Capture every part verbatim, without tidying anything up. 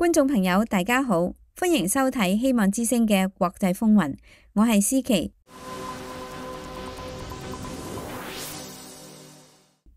觀眾朋友大家好，歡迎收睇希望之聲嘅國際風雲，我係思琪。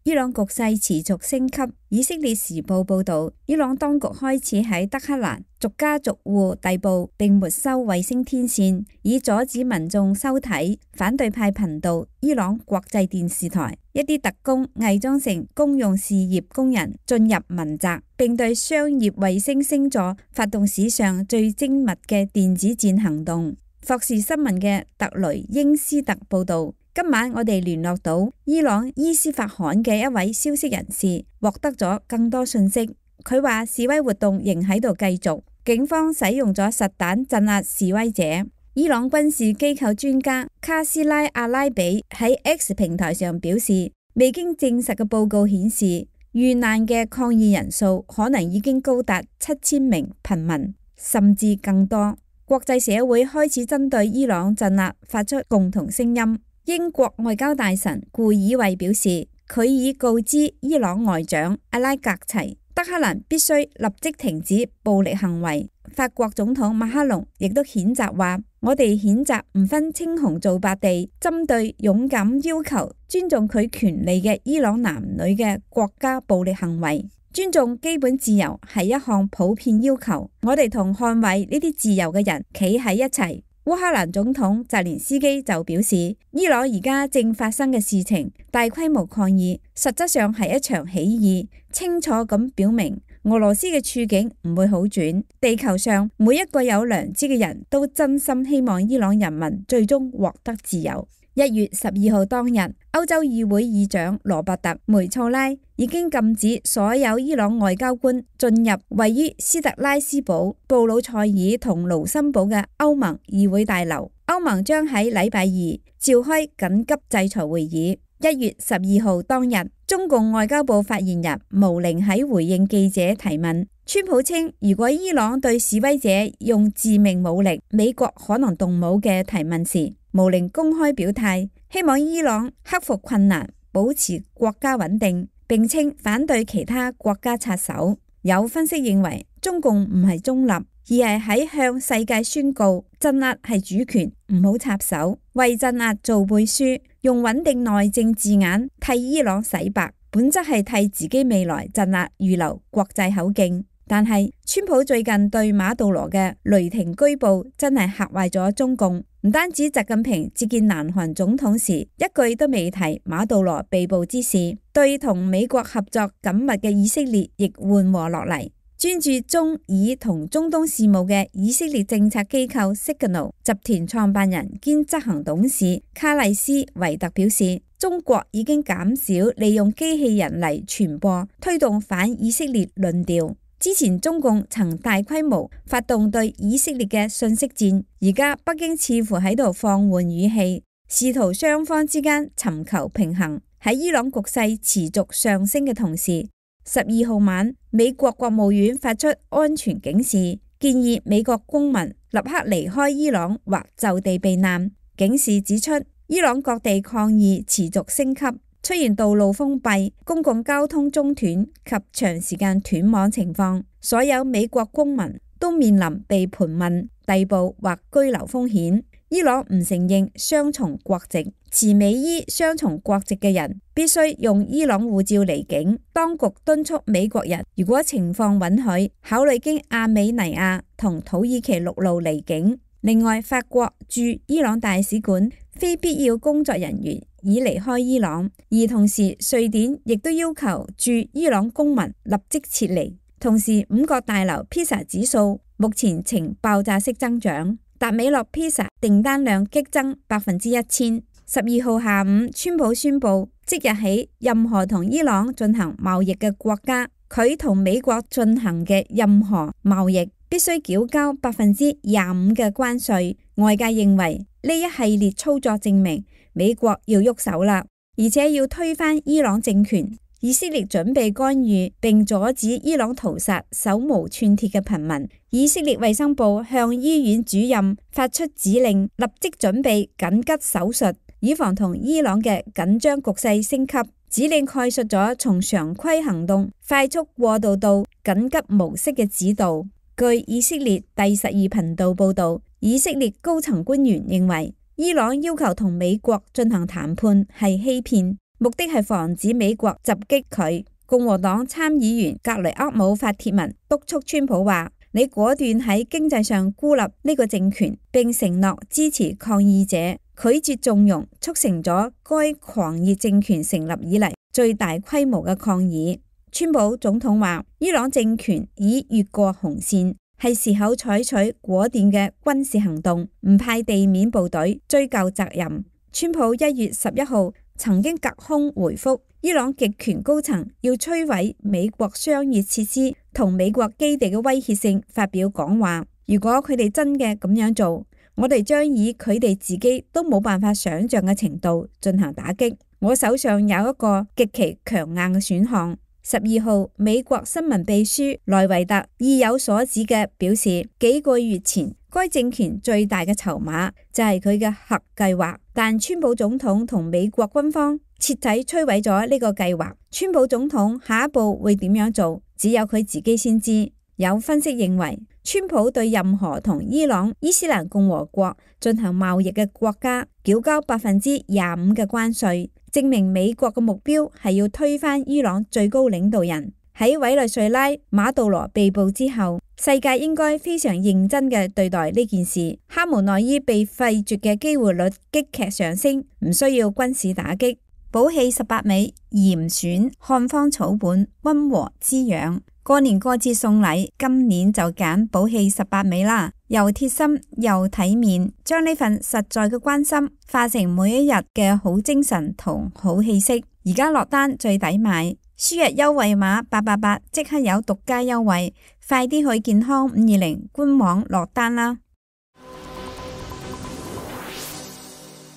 伊朗局勢持續升級，以色列時報報道，伊朗當局開始喺德黑蘭逐家逐戶逮捕並沒收衛星天線，以阻止民眾收睇反對派頻道伊朗國際電視台。一啲特工偽裝成公用事業工人進入民宅，並對商業衛星星座發動史上最精密嘅電子戰行動。霍士新聞嘅特雷英斯特報道，今晚我哋聯絡到伊朗伊斯法罕嘅一位消息人士，獲得咗更多信息。佢話示威活動仍喺度繼續，警方使用咗實彈鎮壓示威者。伊朗軍事機構專家卡斯拉阿拉比喺 X 平台上表示，未經證實嘅報告顯示，遇難嘅抗議人數可能已經高達七千名平民，甚至更多。國際社會開始針對伊朗鎮壓發出共同聲音。英國外交大臣顧爾維表示，佢已告知伊朗外長阿拉格齊，德黑蘭必須立即停止暴力行為。法國總統馬克龍亦都譴責話，我哋譴責唔分青紅皂白地針對勇敢要求尊重佢權利嘅伊朗男女嘅國家暴力行為。尊重基本自由係一項普遍要求，我哋同捍衛呢啲自由嘅人企喺一齊。烏克蘭總統澤連斯基就表示，伊朗而家正發生嘅事情，大規模抗議，實質上係一場起義，清楚咁表明俄羅斯嘅處境唔會好轉。地球上每一個有良知嘅人都真心希望伊朗人民最終獲得自由。一月十二號當日，歐洲議會議長羅伯特梅措拉已經禁止所有伊朗外交官進入位於斯特拉斯堡、布魯塞爾同盧森堡嘅歐盟議會大樓。歐盟將喺禮拜二召開緊急制裁會議。一月十二號當日，中共外交部發言人毛寧喺回應記者提問，川普稱如果伊朗對示威者用致命武力，美國可能動武嘅提問時，毛寧公開表態，希望伊朗克服困難，保持國家穩定，並稱反對其他國家插手。有分析認為，中共唔係中立，而係喺向世界宣告鎮壓係主權，唔好插手，為鎮壓做背書，用穩定內政字眼替伊朗洗白，本質係替自己未來鎮壓預留國際口徑。但係川普最近對馬杜羅嘅雷霆居捕真係嚇壞咗中共，唔單止習近平接見南韓總統時一句都未提馬杜羅被捕之事，對同美國合作緊密嘅以色列亦緩和落嚟。專注中以同中東事務嘅以色列政策機構 Signal 集團創辦人兼執行董事卡麗斯維特表示，中國已經減少利用機器人嚟傳播推動反以色列論調。之前中共曾大規模發動對以色列嘅信息戰，而家北京似乎喺度放緩語氣，試圖雙方之間尋求平衡。喺伊朗局勢持續上升嘅同時，十二號晚美國國務院發出安全警示，建議美國公民立刻離開伊朗或就地避難。警示指出，伊朗各地抗議持續升級，出現道路封閉、公共交通中斷及長時間斷網情況，所有美國公民都面臨被盤問、逮捕或居留風險。伊朗唔承認雙重國籍，持美伊雙重國籍嘅人必須用伊朗護照離境。當局敦促美國人，如果情況允許，考慮經亞美尼亞同土耳其陸路離境。另外，法國駐伊朗大使館非必要工作人員已離開伊朗，而同時瑞典亦都要求駐伊朗公民立即撤離。同時，五角大樓披薩指數目前呈爆炸式增長，達美樂披薩訂單量激增百分之一千。十二號下午，川普宣布即日起，任何同伊朗進行貿易嘅國家，佢同美國進行嘅任何貿易必須繳交百分之廿五嘅關稅。外界認為呢一系列操作證明美國要喐手啦，而且要推翻伊朗政權。以色列準備干預並阻止伊朗屠殺手無寸鐵嘅平民。以色列衛生部向醫院主任發出指令，立即準備緊急手術，以防同伊朗嘅緊張局勢升級。指令概述咗從常規行動快速過渡到緊急模式嘅指導。據以色列第十二頻道報導，以色列高層官員認為伊朗要求同美國進行談判係欺騙，目的係防止美國襲擊佢。共和黨參議員格雷厄姆發帖文督促川普話：你果斷喺經濟上孤立呢個政權，並承諾支持抗議者，拒絕縱容，促成咗該狂熱政權成立以嚟最大規模嘅抗議。川普總統話：伊朗政權已越過紅線，係時候採取果斷嘅軍事行動，唔派地面部隊追究責任。川普一月十一號曾經隔空回覆伊朗極權高層要摧毀美國商業設施同美國基地嘅威脅性發表講話，如果佢哋真嘅咁樣做，我哋將以佢哋自己都冇辦法想象嘅程度進行打擊。我手上有一個極其強硬嘅選項。十二號，美國新聞秘書萊維特意有所指嘅表示，幾個月前該政權最大嘅籌碼就係佢嘅核計劃，但川普總統同美國軍方徹底摧毀咗呢個計劃。川普總統下一步會點樣做，只有佢自己先知。有分析認為，川普對任何同伊朗伊斯蘭共和國進行貿易嘅國家繳交百分之廿五嘅關稅，證明美國嘅目標係要推翻伊朗最高領導人。喺委內瑞拉馬杜羅被捕之後，世界應該非常認真嘅對待呢件事。哈梅內伊被廢絕嘅機會率急劇上升，唔需要軍事打擊。寶氣十八味嚴選漢方草本，溫和滋養。過年過節送禮，今年就揀寶氣十八味啦，又貼心又體面，將呢份實在嘅關心化成每一日嘅好精神同好氣息。而家落單最抵買，輸入優惠碼八八八即刻有獨家優惠，快啲去健康五二零官網落單啦！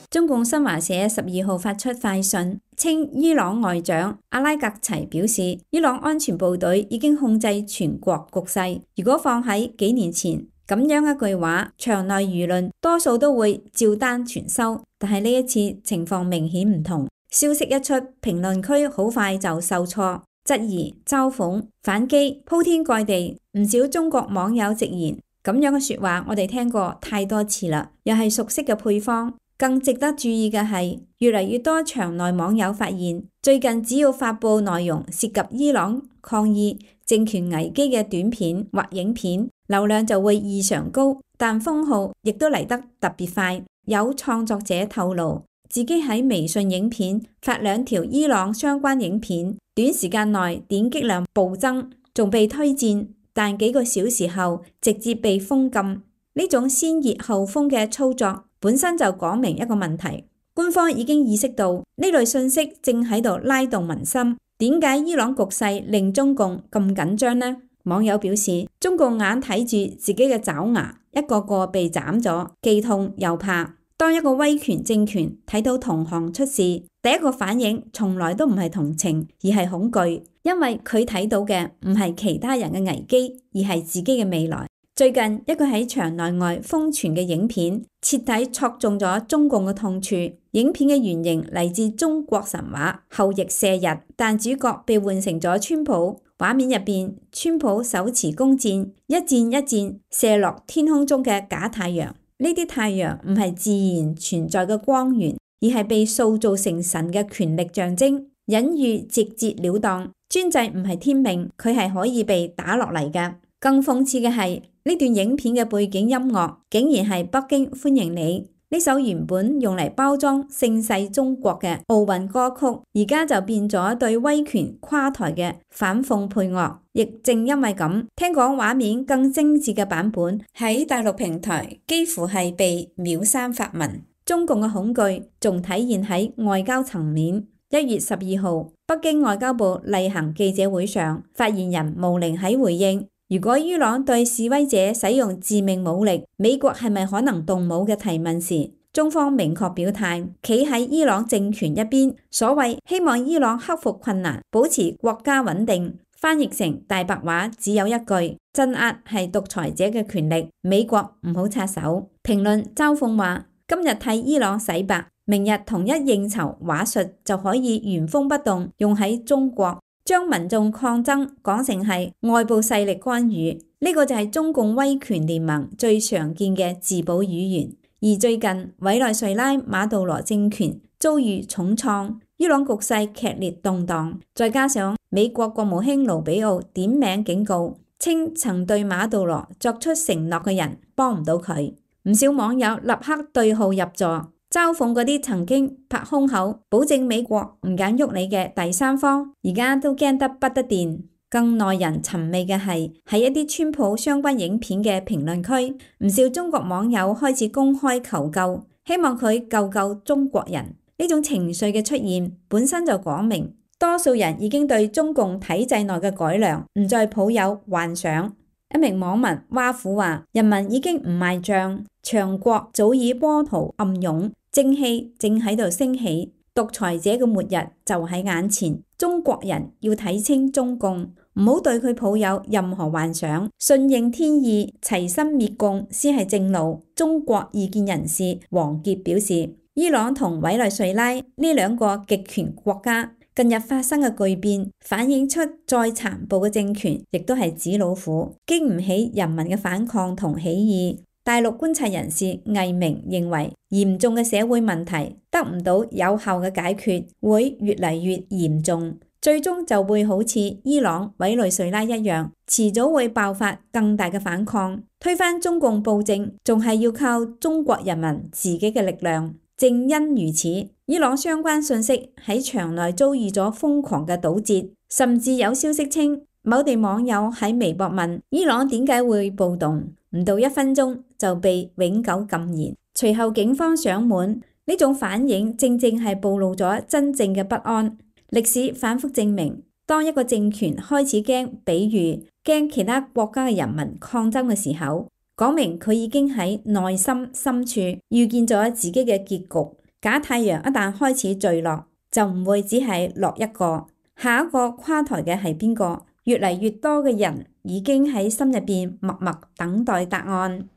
中共新華社十二號發出快訊，稱伊朗外長阿拉格齊表示，伊朗安全部隊已經控制全國局勢。如果放喺幾年前，咁樣一句話，場內輿論多數都會照單全收。但係呢一次情況明顯唔同，消息一出，評論區好快就受挫、質疑、嘲諷、反擊，鋪天蓋地。唔少中國網友直言，咁樣嘅說話我哋聽過太多次啦，又係熟悉嘅配方。更值得注意嘅係，越嚟越多場內網友發現，最近只要發佈內容涉及伊朗抗議政權危機嘅短片或影片，流量就會異常高，但封號亦都嚟得特別快。有創作者透露，自己喺微信影片發兩條伊朗相關影片，短時間內點擊量暴增，仲被推薦，但幾個小時後直接被封禁。呢種先熱後封嘅操作本身就講明一個問題，官方已經意識到呢類信息正喺度拉動民心。點解伊朗局勢令中共咁緊張呢？網友表示，中共眼睇住自己嘅爪牙一個個被斬咗，既痛又怕。當一個威權政權睇到同行出事，第一個反應從來都唔係同情，而係恐懼，因為佢睇到嘅唔係其他人嘅危機，而係自己嘅未來。最近一個喺場內外瘋傳嘅影片，徹底戳中咗中共嘅痛處。影片嘅原型嚟自中國神話后羿射日，但主角被換成咗川普。畫面入邊，川普手持弓箭，一箭一箭射落天空中嘅假太陽。呢啲太陽唔係自然存在嘅光源，而係被塑造成神嘅權力象徵，隱喻直截了當。專制唔係天命，佢係可以被打落嚟嘅。更諷刺嘅係，呢段影片嘅背景音樂竟然係北京歡迎你，呢首原本用嚟包裝盛世中國嘅奧運歌曲，而家就變咗對威權垮台嘅反諷配樂。亦正因為咁，聽講畫面更精緻嘅版本喺大陸平台幾乎係被秒刪發文。中共嘅恐懼仲體現喺外交層面。一月十二號，北京外交部例行記者會上，發言人毛寧喺回應如果伊朗對示威者使用致命武力，美國係咪可能動武嘅提問時，中方明確表態，企喺伊朗政權一邊。所謂希望伊朗克服困難，保持國家穩定，翻譯成大白話只有一句：鎮壓係獨裁者嘅權力，美國唔好插手。評論嘲諷話：今日替伊朗洗白，明日同一應酬話術就可以原封不動用喺中國。將民眾抗爭講成係外部勢力干預，呢個就係中共威權聯盟最常見嘅自保語言。而最近委內瑞拉馬杜羅政權遭遇重創，伊朗局勢劇烈動盪，再加上美國國務卿盧比奧點名警告，稱曾對馬杜羅作出承諾嘅人幫唔到佢，唔少網友立刻對號入座，嘲諷嗰啲曾經拍胸口保證美國唔敢喐你嘅第三方，而家都驚得不得掂。更耐人尋味嘅係喺一啲川普相關影片嘅評論區，唔少中國網友開始公開求救，希望佢救救中國人。呢種情緒嘅出現本身就講明，多數人已經對中共體制內嘅改良唔再抱有幻想。一名網民挖苦話：人民已經唔賣賬，強國早已波濤暗湧，正氣正喺度升起，獨裁者嘅末日就喺眼前。中國人要睇清中共，唔好對佢抱有任何幻想，順應天意，齊心滅共先係正路。中國異見人士王傑表示，伊朗同委內瑞拉呢兩個極權國家近日發生嘅巨變，反映出再殘暴嘅政權亦都係紙老虎，經唔起人民嘅反抗同起義。大陸觀察人士魏明認為，嚴重嘅社會問題得唔到有效嘅解決，會越嚟越嚴重，最終就會好似伊朗、委內瑞拉一樣，遲早會爆發更大嘅反抗，推翻中共暴政，仲係要靠中國人民自己嘅力量。正因如此，伊朗相關信息喺場內遭遇咗瘋狂嘅堵截，甚至有消息稱，某地網友喺微博問伊朗點解會暴動，唔到一分鐘就被永久禁言。隨後警方上門，呢種反應正正係暴露咗真正嘅不安。歷史反覆證明，當一個政權開始驚，比如驚其他國家嘅人民抗爭嘅時候，講明佢已經喺內心深處預見咗自己嘅結局。假太陽一旦開始墜落，就唔會只係落一個，下一個垮台嘅係邊個？越嚟越多嘅人已經喺心入邊默默等待答案。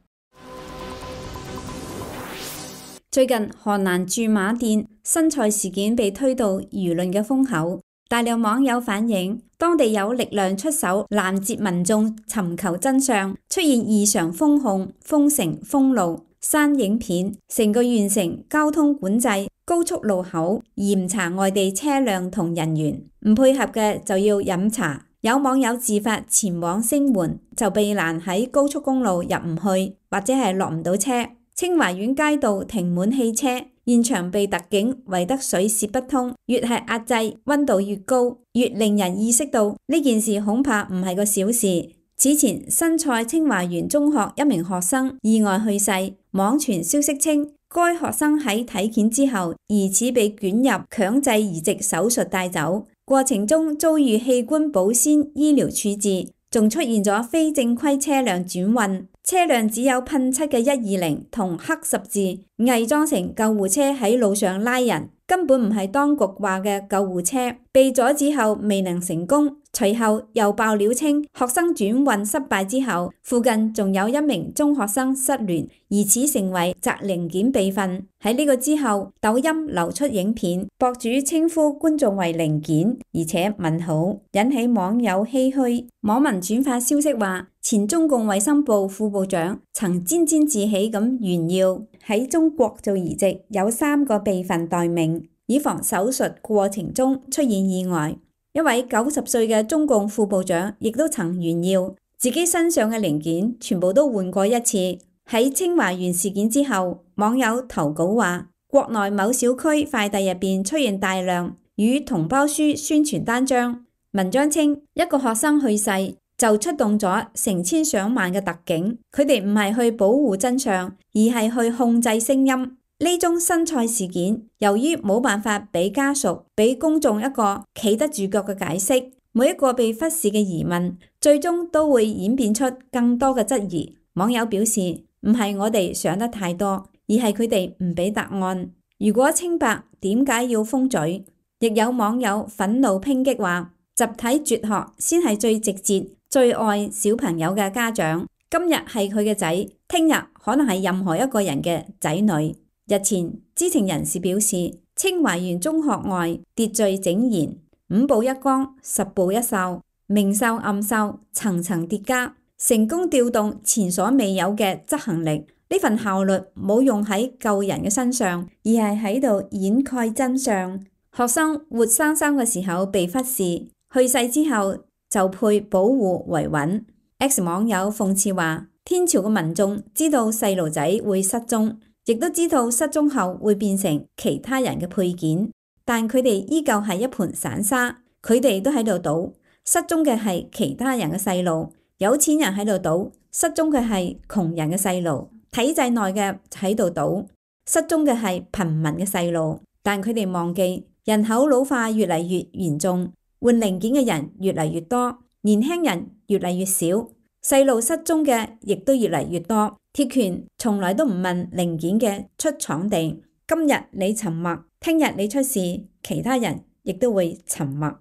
最近河南駐馬店新菜事件被推到輿論嘅風口，大量網友反映，當地有力量出手攔截民眾尋求真相，出現異常封控、封城、封路、刪影片，成個縣城交通管制，高速路口嚴查外地車輛同人員，唔配合嘅就要飲茶。有網友自發前往聲援，就被攔喺高速公路入唔去，或者係落唔到車。清華園街道停滿汽車，現場被特警圍得水泄不通。越係壓制，溫度越高，越令人意識到呢件事恐怕唔係個小事。此前新蔡清華園中學一名學生意外去世，網傳消息稱該學生喺體檢之後疑似被捲入強制移植手術帶走，過程中遭遇器官保鮮醫療處置，仲出現咗非正規車輛轉運，車輛只有噴漆嘅一二零同黑十字，偽裝成救護車喺路上拉人，根本唔係當局話嘅救護車。被阻止後未能成功，隨後又爆料稱學生轉運失敗之後，附近仲有一名中學生失聯，疑似成為摘零件備份。喺呢個之後，抖音流出影片，博主稱呼觀眾為零件，而且問好，引起網友唏噓。網民轉發消息話，前中共衛生部副部長曾沾沾自喜咁炫耀喺中國做移植有三個備份待命，以防手術過程中出現意外。一位九十歲嘅中共副部長亦都曾炫耀自己身上嘅零件全部都換過一次。喺清華園事件之後，網友投稿話，國內某小區快遞入邊出現大量與同胞書宣傳單張，文章稱一個學生去世就出動咗成千上萬嘅特警，佢哋唔係去保護真相，而係去控制聲音。呢宗新蔡事件，由於冇辦法俾家屬、俾公眾一個企得住腳嘅解釋，每一個被忽視嘅疑問，最終都會演變出更多嘅質疑。網友表示，唔係我哋想得太多，而係佢哋唔俾答案。如果清白，點解要封嘴？亦有網友憤怒抨擊話，集體絕學先係最直接、最愛小朋友嘅家長。今日係佢嘅仔，聽日可能係任何一個人嘅仔女。日前，知情人士表示，清華園中學外秩序井然，五步一崗，十步一哨，明哨暗哨，層層疊加，成功調動前所未有嘅執行力。呢份效率冇用喺救人嘅身上，而係喺度掩蓋真相。學生活生生嘅時候被忽視，去世之後就配保護維穩。X 網友諷刺話：天朝嘅民眾知道細路仔會失蹤，亦都知道失蹤後會變成其他人嘅配件，但佢哋依舊係一盤散沙。佢哋都喺度賭，失蹤嘅係其他人嘅細路，有錢人喺度賭，失蹤嘅係窮人嘅細路。體制內嘅喺度賭，失蹤嘅係貧民嘅細路，但佢哋忘記人口老化越嚟越嚴重，換零件嘅人越嚟越多，年輕人越嚟越少，細路失蹤嘅亦都越嚟越多。鐵拳從來都唔問零件嘅出廠地，今日你沉默，聽日你出事，其他人亦都會沉默。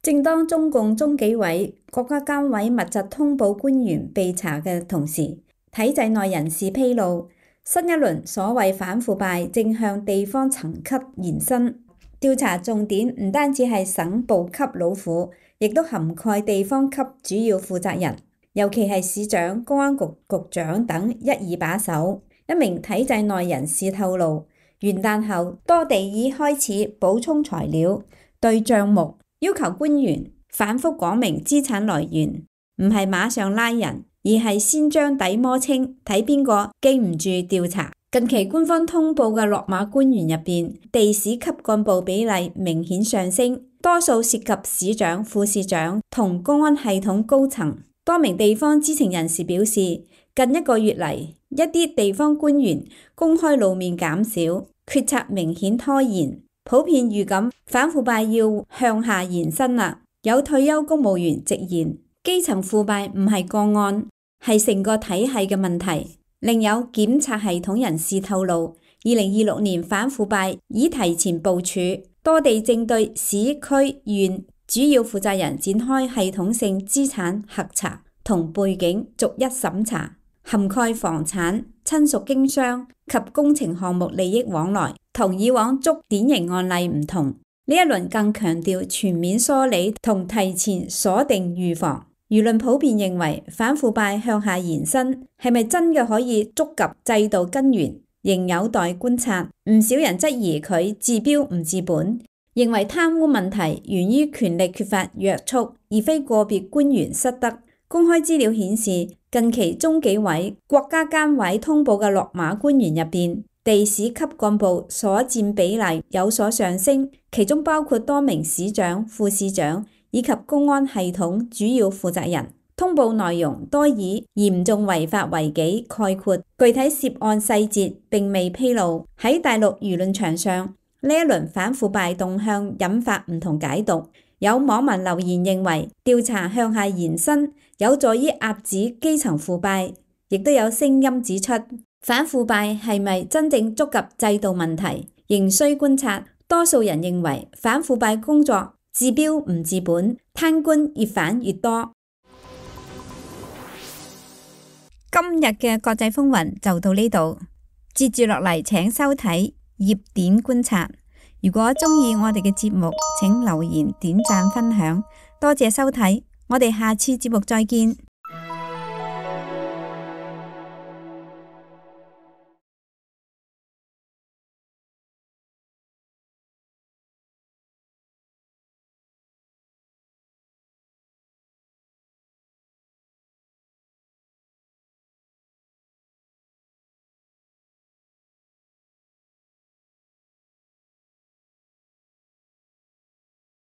正當中共中紀委、國家監委密集通報官員被查嘅同時，體制內人士披露，新一輪所謂反腐敗正向地方層級延伸，調查重點唔單止係省部級老虎，亦都涵蓋地方級主要負責人，尤其係市長、公安局局長等一二把手。一名體制內人士透露，元旦後多地已開始補充材料，對賬目要求官員反覆講明資產來源，唔係馬上拉人，而係先將底摸清，睇邊個經唔住調查。近期官方通報嘅落馬官員入邊，地市級幹部比例明顯上升，多數涉及市長、副市長同公安系統高層。多名地方知情人士表示，近一個月嚟，一啲地方官員公開露面減少，決策明顯拖延。普遍預感反腐敗要向下延伸啦。有退休公務員直言，基層腐敗唔係個案，係成個體系嘅問題。另有檢察系統人士透露，二零二六年反腐敗已提前部署，多地正對市區縣主要負責人展開系統性資產核查同背景逐一審查，涵蓋房產、親屬經商及工程項目利益往來。同以往捉典型案例唔同，呢一輪更強調全面梳理同提前鎖定預防。輿論普遍認為反腐敗向下延伸係咪真嘅可以觸及制度根源，仍有待觀察。唔少人質疑佢治標唔治本，認為貪污問題源於權力缺乏約束，而非個別官員失德。公開資料顯示，近期中紀委、國家監委通報嘅落馬官員入邊，地市級幹部所佔比例有所上升，其中包括多名市長、副市長以及公安系統主要負責人。通報內容多以嚴重違法為己概括，具體涉案細節並未披露。喺大陸輿論場上，呢一輪反腐敗動向引發唔同解讀。有網民留言認為，調查向下延伸有助於遏止基層腐敗，亦都有聲音指出，反腐敗係咪真正觸及制度問題，仍需觀察。多數人認為反腐敗工作治標唔治本，貪官越反越多。今日嘅國際風雲就到呢度，接住落嚟請收睇熱點觀察。如果鍾意我哋嘅節目，請留言、點讚、分享，多謝收睇，我哋下次節目再見。